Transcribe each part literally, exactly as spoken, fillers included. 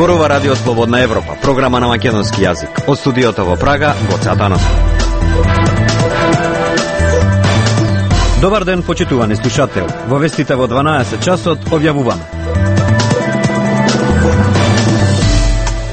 Зборува Радио Слободна Европа, програма на македонски јазик. Од студиото во Прага, Гоце Атанасов. Добар ден, почитувани слушател. Во вестите во дванаесет часот објавуваме.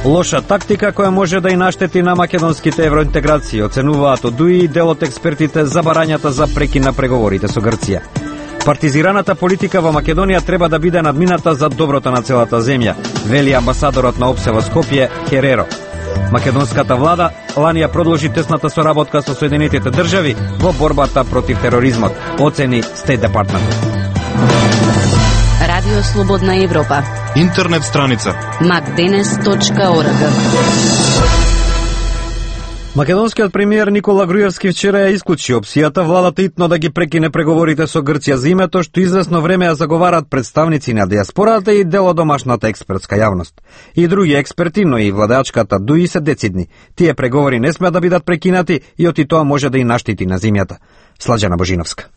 Лоша тактика која може да и наштети на македонските евроинтеграции, оценуваат од ДУИ и дел од експертите за барањата за прекин на преговорите со Грција. Партизираната политика во Македонија треба да биде надмината за доброто на целата земја, вели амбасадорот на ОПСЕ во Скопје Хереро. Македонската влада лани ја продолжи тесната соработка со Соединетите држави во борбата против тероризмот, оцени Стейт Департмент. Радио Слободна Европа. Интернет страница макденес точка орг. Македонскиот премиер Никола Груевски вчера ја исклучи опцијата владата итно да ги прекине преговорите со Грција за името, што известно време ја заговарат представници на диаспората и дел од домашната експертска јавност. И други експерти, но и владеачката ДУИ се децидни. Тие преговори не смеат да бидат прекинати и оти тоа може да и наштити на земјата. Слаđана Божиновска.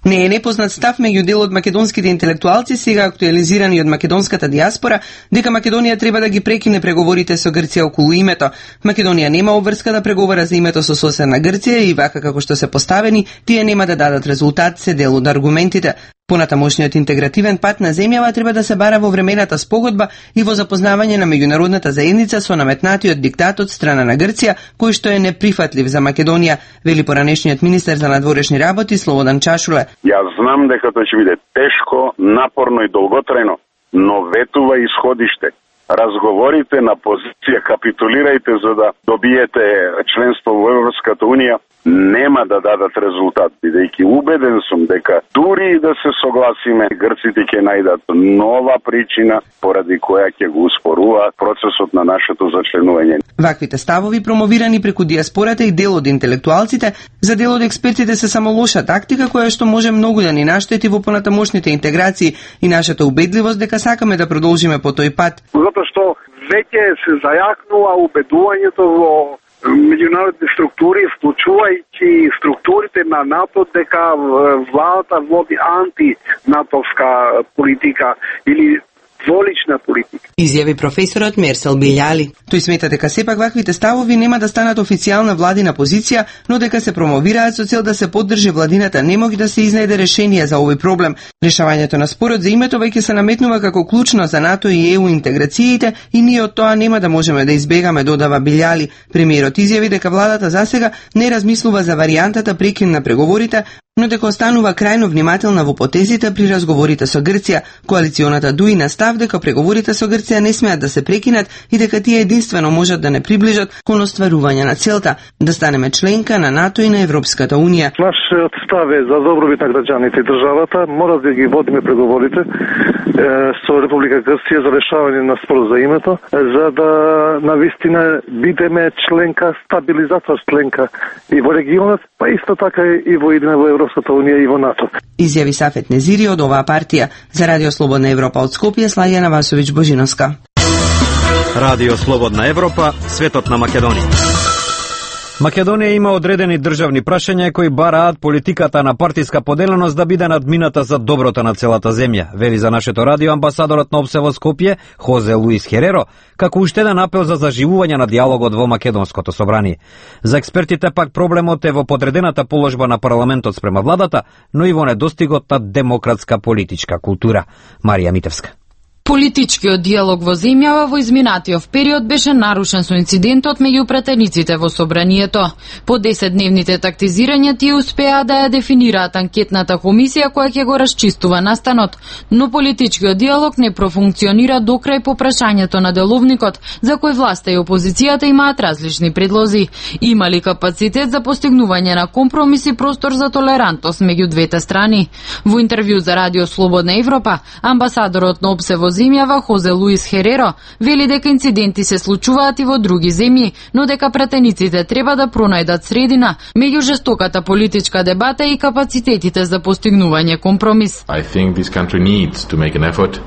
Не е непознат став меѓу дел од македонските интелектуалци, сега актуализирани од македонската диаспора, дека Македонија треба да ги прекине преговорите со Грција околу името. Македонија нема обврска да преговара за името со соседна Грција и вака како што се поставени, тие нема да дадат резултат, се дел од аргументите. Понатамошниот интегративен пат на земјава треба да се бара во времената спогодба и во запознавање на меѓународната заедница со наметнатиот диктат од страна на Грција, кој што е неприфатлив за Македонија, вели поранешниот министер за надворешни работи Слободан Чашуле. Јас знам дека тоа ќе биде тешко, напорно и долготрајно, но ветува исходиште. Разговорите на позиција, капитулирајте за да добиете членство во Европската Унија, нема да дадат резултат, бидејќи убеден сум дека дури и да се согласиме, грците ќе најдат нова причина поради која ќе го успоруваат процесот на нашето зачленување. Ваквите ставови, промовирани преку диаспората и дел од интелектуалците, за дел од експертите се само лоша тактика која што може многу да ни наштети во понатамошните интеграции и нашата убедливост дека сакаме да продолжиме по тој пат. Затоа што веќе се зајакнува убедувањето во меѓународни структури, вклучувајќи структурите на НАТО, дека владата води антинатовска политика или дволична политика. Изјави професорот Мерсел Билјали. Тој смета дека сепак ваквите ставови нема да станат официјална владина позиција, но дека се промовираат со цел да се поддржи владината немоги да се изнајде решение за овој проблем. Решавањето на спорот за името веќе се наметнува како клучно за НАТО и ЕУ интеграциите и ние од тоа нема да можеме да избегаме, додава Билјали. Премиерот изјави дека владата засега не размислува за варијантата прекин на преговорите, но дека останува крајно внимателна во потезите при разговорите со Грција. Коалиционата ДУИ на став дека преговорите со Грција не смеат да се прекинат и дека тие единствено можат да не приближат кон остварување на целта да станеме членка на НАТО и на Европската Унија. Нашиот став е за добробит на граѓаните и државата, мора да ги водиме преговорите е, со Република Грција за решавање на спор за името, за да навистина бидеме членка, стабилизатор членка и во регионот, па исто така и во идеме во Европската Унија и во НАТО. Изјави Сафет Незири од оваа партија. За Радио Слободна Европа од Скопје, Слаѓана Васовиќ Божиновска. Радио Слободна Европа, светот на Македонија. Македонија има одредени државни прашања кои бараат политиката на партиска поделеност да биде надмината за доброто на целата земја, вели за нашето радио амбасадорот на ОПСЕ во Скопје Хозе Луис Хереро, како уште еден апел за заживување на диалогот во македонското собрание. За експертите пак проблемот е во подредената положба на парламентот спрема владата, но и во недостигот на демократска политичка култура. Марија Митевска. Политичкиот диалог во земјава во изминатиот период беше нарушен со инцидентот меѓу претениците во собранието. По десетдневните тактизирања тие успеа да ја дефинираат анкетната комисија која ќе го расчистува настанот, но политичкиот диалог не профункционира до крај по прашањето на деловникот, за кој власта и опозицијата имаат различни предлози. Има ли капацитет за постигнување на компромис и простор за толерантност меѓу двете страни? Во интервју за Радио Слободна Европа, амбасадорот на ОПСЕ во земјава Хозе Луис Хереро вели дека инциденти се случуваат и во други земји, но дека пратениците треба да пронајдат средина меѓу жестоката политичка дебата и капацитетите за постигнување компромис.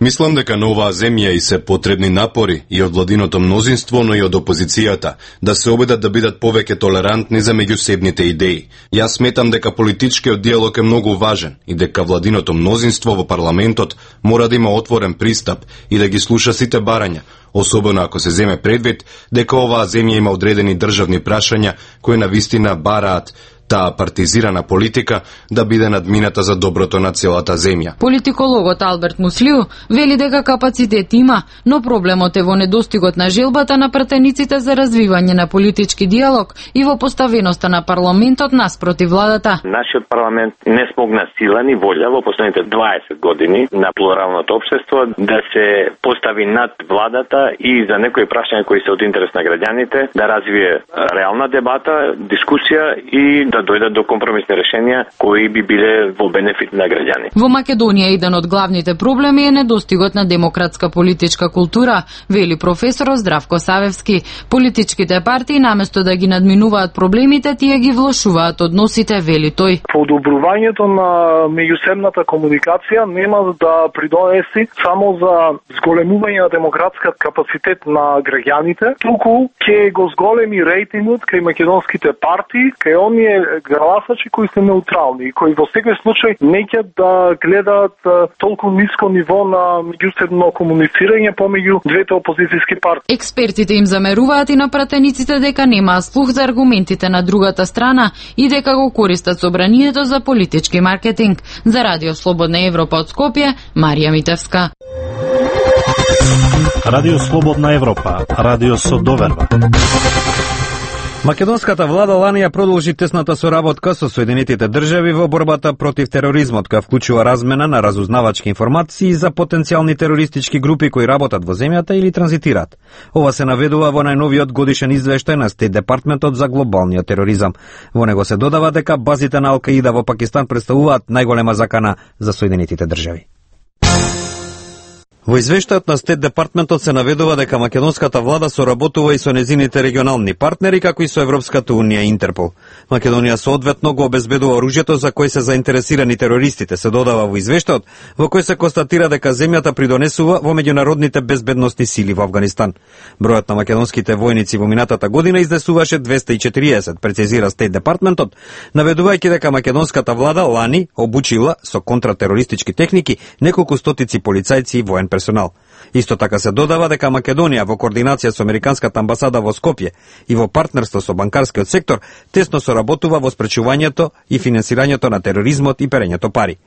Мислам дека на оваа земја и се потребни напори и од владиното мнозинство, но и од опозицијата, да се обидат да бидат повеќе толерантни за меѓусебните идеи. Јас сметам дека политичкиот диалог е многу важен и дека владиното мнозинство во парламентот мора да има отворен пристап и да ги слуша сите барања, особено ако се земе предвид дека оваа земја има одредени државни прашања кои навистина бараат таа партизирана политика да биде надмината за доброто на целата земја. Политикологот Алберт Муслиу вели дека капацитет има, но проблемот е во недостигот на желбата на пратениците за развивање на политички диалог и во поставеноста на парламентот наспроти владата. Нашиот парламент не смогна сила ни волја во последните дваесет години на плуралното општество да се постави над владата и за некои прашања кои се од интерес на граѓаните да развие реална дебата, дискусија и да дојдат до компромисни решенија кои би биле во бенефит на граѓани. Во Македонија еден од главните проблеми е недостигот на демократска политичка култура, вели професорот Здравко Савевски. Политичките партии наместо да ги надминуваат проблемите, тие ги влошуваат односите, вели тој. Подобрувањето на меѓусебната комуникација нема да придонеси само за зголемување на демократска капацитет на граѓаните, туку ќе го зголеми рейтингот кај македонските партии, кај оние гласачи кои се неутрални и кои во секој случај неќе да гледаат толку ниско ниво на меѓусебно комуницирање помеѓу двете опозицијски партии. Експертите им замеруваат и на пратениците дека немаат слух за аргументите на другата страна и дека го користат собранието за политички маркетинг. За Радио Слободна Европа од Скопје, Марија Митевска. Радио Слободна Европа, радио со доверба. Македонската влада лани ја продолжи тесната соработка со Соединетите држави во борбата против тероризмот, која вклучува размена на разузнавачки информации за потенцијални терористички групи кои работат во земјата или транзитираат. Ова се наведува во најновиот годишен извештај на Стейт Департментот за глобалниот тероризам. Во него се додава дека базите на Ал-Каида во Пакистан представуваат најголема закана за Соединетите држави. Во извештајот на Стейт Департментот се наведува дека македонската влада соработува и со незините регионални партнери, како и со Европската унија и Интерпол. Македонија соодветно го обезбедува оружјето за кој се заинтересирани терористите, се додава во извештајот, во кој се констатира дека земјата придонесува во меѓународните безбедносни сили во Авганистан. Бројот на македонските војници во минатата година изнесуваше двесте и четириесет, прецизира Стейт Департментот, наведувајќи дека македонската влада лани обучила со контратерористички техники неколку стотици полицајци и воен персонал. Исто така се додава дека Македонија во координација со Американската амбасада во Скопје и во партнерство со банкарскиот сектор тесно соработува во спречувањето и финансирањето на тероризмот и перењето пари.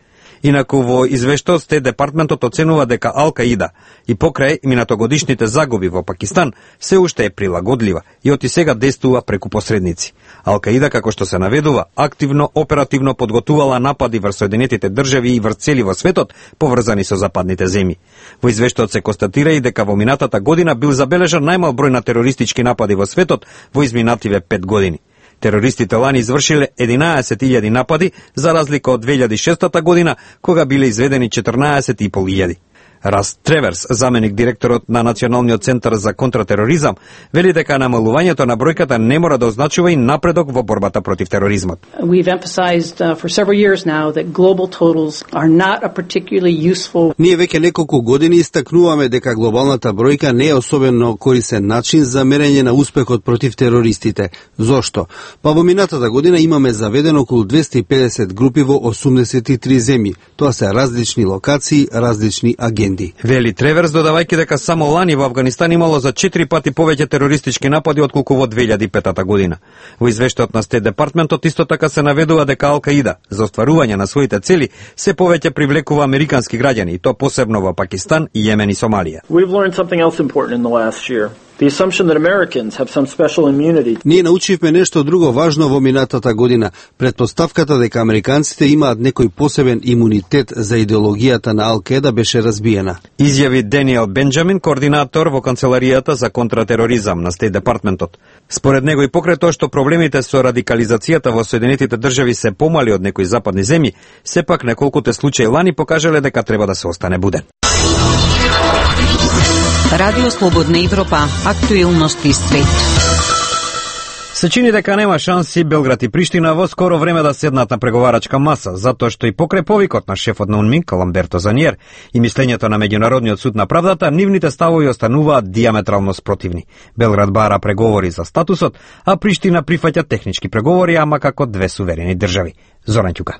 Инаку во извештајот Стейт Департментот оценува дека Ал-Каида и покрај минатогодишните загуби во Пакистан се уште е прилагодлива и оти сега действува преку посредници. Ал-Каида, како што се наведува, активно оперативно подготувала напади врз Соединетите држави и врз цели во светот поврзани со западните земји. Во извештајот се констатира и дека во минатата година бил забележан најмал број на терористички напади во светот во изминативе пет години. Терористите лани извршиле единаесет илјади напади, за разлика од две илјади и шестата година, кога биле изведени четрнаесет и пол илјади. Раст Треверс, заменик директорот на Националниот центар за контратероризам, вели дека намалувањето на бројката не мора да означува и напредок во борбата против тероризмот. We've emphasized uh, for several years now that global totals are not a particularly useful. Ние веќе неколку години истакнуваме дека глобалната бројка не е особено корисен начин за мерење на успехот против терористите. Зошто? Па во минатата година имаме заведено околу двесте и педесет групи во осумдесет и три земји. Тоа се различни локации, различни агенти. Вели Треверс, додавајќи дека само лани во Авганистан имало за четири пати повеќе терористички напади отколку во две илјади и петата година. Во извештајот на Стейт Департментот исто така се наведува дека Ал-Каида за остварување на своите цели се повеќе привлекува американски граѓани, и то посебно во Пакистан, Јемен и Сомалија. We've learned something else important in the last year. The assumption that Americans have some special immunity. Ние научивме нешто друго важно во минатата година. Предпоставката дека американците имаат некој посебен имунитет за идеологијата на Ал-Каида беше разбиена. Изјави Даниел Бенџамин, координатор во канцеларијата за контратероризам на Стейт Департментот. Според него и покрај тоа што проблемите со радикализацијата во Соединетите држави се помали од некои западни земји, сепак неколкуте случаи лани покажале дека треба да се остане буден. Радио Слободна Европа, актуелности свет. Се чини дека нема шанси Белград и Приштина во скоро време да седнат на преговарачка маса, затоа што и покрај повикот на шефот на УНМИК, Ламберто Заниер, и мислењето на Меѓународниот суд на правдата, нивните ставови остануваат диаметрално спротивни. Белград бара преговори за статусот, а Приштина прифаќа технички преговори, ама како две суверени држави. Зоран Ќука.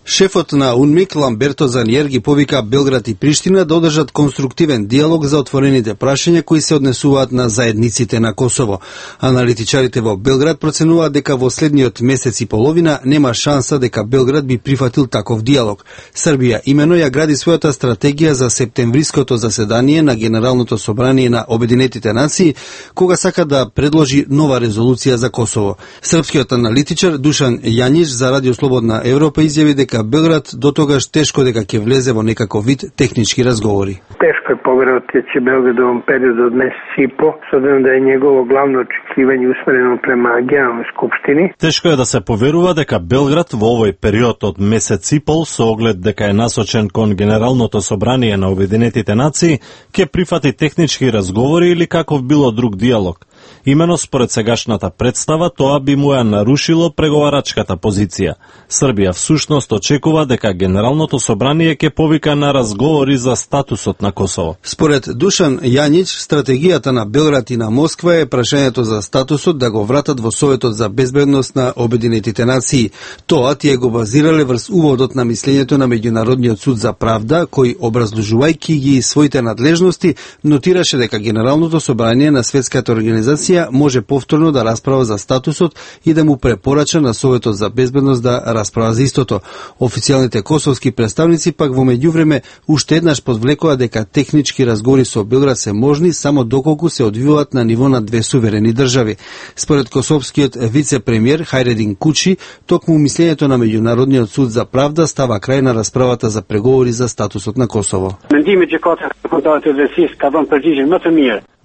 Шефот на УНМИК Ламберто Заниер ги повика Белград и Приштина да одржат конструктивен диалог за отворените прашања кои се однесуваат на заедниците на Косово. Аналитичарите во Белград проценуваат дека во следниот месец и половина нема шанса дека Белград би прифатил таков диалог. Србија имено ја гради својата стратегија за септемвриското заседание на Генералното собрание на Обединетите нации, кога сака да предложи нова резолуција за Косово. Српскиот аналитичар Душан Јаниш за Радио Слободна Европа изјави дека Белград до тогаш тешко дека ќе влезе во некаков вид технички разговори. Тешко е поверовати дека ќе Белград во период од месец и по, с обзиром да е негово главно очекивање усмерено према Генерални скупштини. Тешко е да се поверува дека Белград во овој период од месец и пол, со оглед дека е насочен кон Генералното собрание на Обединетите нации, ќе прифати технички разговори или каков било друг диалог. Имено според сегашната представа, тоа би му ја нарушило преговарачката позиција. Србија всушност очекува дека Генералното собрание ќе повика на разговори за статусот на Косово. Според Душан Јанич, стратегијата на Белград и на Москва е прашањето за статусот да го вратат во Советот за безбедност на Обединетите нации. Тоа тие го базирале врз уводот на мислењето на Меѓународниот суд за правда, кој образложувајќи ги своите надлежности, нотираше дека Генералното собрание на Светската организација може повторно да расправа за статусот и да му препорача на Советот за безбедност да расправа за истото. Официјалните косовски представници пак во меѓувреме уште еднаш подвлекоа дека технички разговори со Белград се можни само доколку се одвиваат на ниво на две суверени држави. Според косовскиот вице-премиер Хајредин Кучи, токму мислењето на Меѓународниот суд за правда става крај на расправата за преговори за статусот на Косово.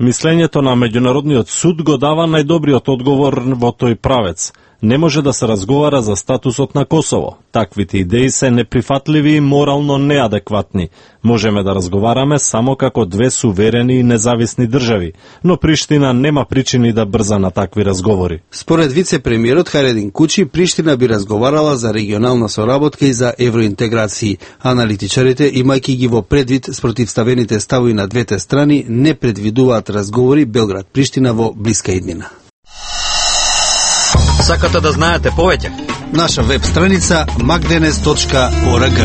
Мислењето на Меѓународниот суд го дава најдобриот одговор во тој правец. Не може да се разговара за статусот на Косово. Таквите идеи се неприфатливи и морално неадекватни. Можеме да разговараме само како две суверени и независни држави, но Приштина нема причини да брза на такви разговори. Според вице-премиерот Хајредин Кучи, Приштина би разговарала за регионална соработка и за евроинтеграции. Аналитичарите, имајќи ги во предвид спротивставените ставови на двете страни, не предвидуваат разговори Белград-Приштина во блиска иднина. Сакате да знаете повеќе? Наша веб страница magdenes точка org.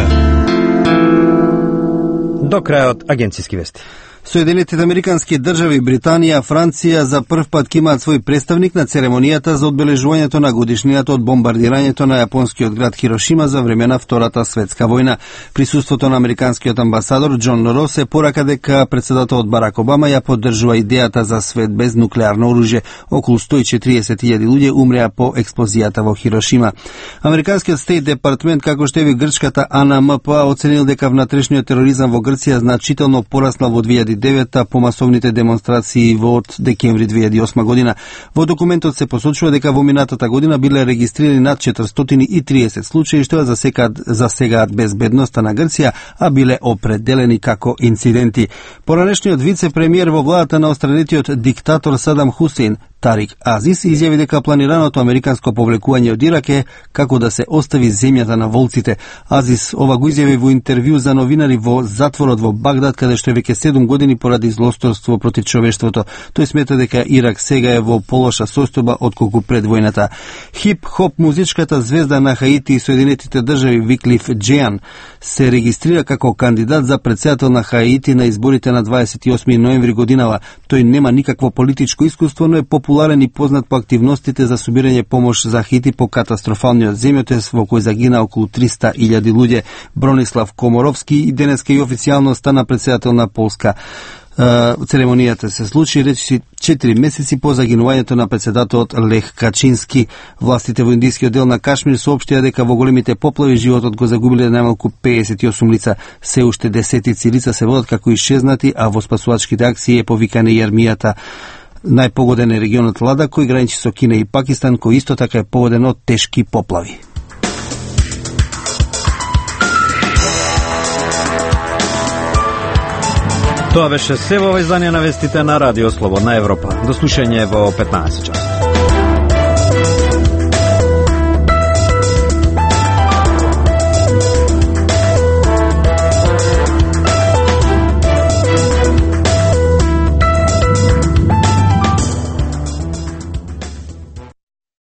До крајот агенциски вести. Соединетите американски држави, Британија, Франција за прв пат ќе имаат свој представник на церемонијата за одбележувањето на годишнината од бомбардирањето на јапонскиот град Хирошима за време на Втората светска војна. Присуството на американскиот амбасадор Џон Рос е порака дека председателот Барак Обама ја поддржува идејата за свет без нуклеарно оружје. Околу сто и четириесет илјади луѓе умреа по експлозијата во Хирошима. Американскиот Стейт департмент, како што е грчката А Н М П, оценил дека внатрешниот тероризам во Грција значително пораснал во две илјади и девета по масовните демонстрации во од декември две илјади и осма година. Во документот се посочува дека во минатата година биле регистрирани над четиристотини и триесет случаи што засекаат засегаат безбедноста на Грција, а биле определени како инциденти. Поранешниот вице-премиер во владата на остранетиот диктатор Садам Хусейн, Тарик Азис, изјави дека планираното американско повлекување од Ирак е како да се остави земјата на волците. Азис ова го изјави во интервју за новинари во затворот во Багдад, каде што е веќе седум години поради злосторство против човештвото. Тој смета дека Ирак сега е во полоша состојба отколку пред војната. Хип-хоп музичката звезда на Хаити и Соединетите држави Виклиф Джеан се регистрира како кандидат за претседател на Хаити на изборите на дваесет и осми ноември годинава. Тој нема никакво политичко искуство, но е популарен и познат по активностите за собирање помош за Хаити по катастрофалниот земјотрес во кој загина околу триста илјади луѓе. Бронислав Коморовски и денеска и официјално стана претседател на Полска. Церемонијата се случи речиси четири месеци по загинувањето на председателот Лех Качински. Властите во индискиот дел на Кашмир соопштија дека во големите поплави животот го загубиле најмалку пеесет и осум лица. Се уште десетици лица се водат како исчезнати, а во спасувачките акции е повикане и армијата. Најпогоден е регионот Лада, кој граничи со Кина и Пакистан, кој исто така е погоден од тешки поплави. Тоа беше се во издание на вестите на Радио Слободна Европа. До слушање во петнаесет часот.